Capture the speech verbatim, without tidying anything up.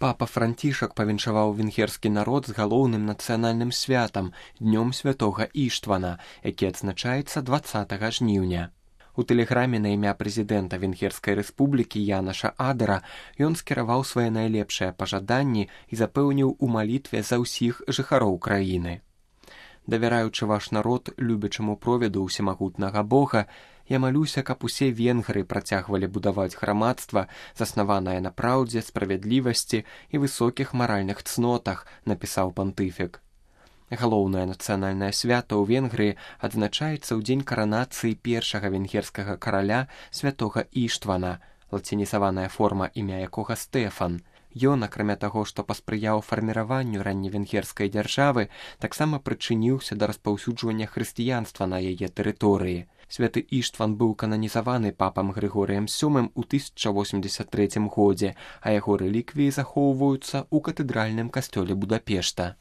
Папа Францішак павіншаваў венгерскі народ з галоўным нацыянальным святам днём святога Іштвана, які адзначаецца дваццатага жніўня. У тэлеграме на імя прэзідэнта Венгерскай рэспублікі Янаша Адара ён скіраваў свае найлепшыя пажаданні і запэўніў у малітве за ўсіх жыхароў краіны. Давяраючы ваш народ любячаму провіду ўсемагутнага Бога, я малюся, каб усе венгры працягвалі будаваць грамадства, заснаванае на праўдзе, справядлівасці і высокіх маральных цнотах, напісаў пантыфік. Галоўнае нацыянальнае свята ў Венгрыі адзначаецца ў дзень каранацыі першага венгерскага караля святога Іштвана, лацінізаваная форма імя якога Стэфан. Ён, акрамя таго, што паспрыяў фарміраванню ранневенгерскай дзяржавы, таксама прычыніўся да распаўсюджвання хрысціянства на яе тэрыторыі. Святы Іштван быў кананізаваны папам Грыгорыем сёмым у тысяча восемьдесят трэцім годзе, а яго рэліквіі захоўваюцца ў катэдральным касцёле Будапешта.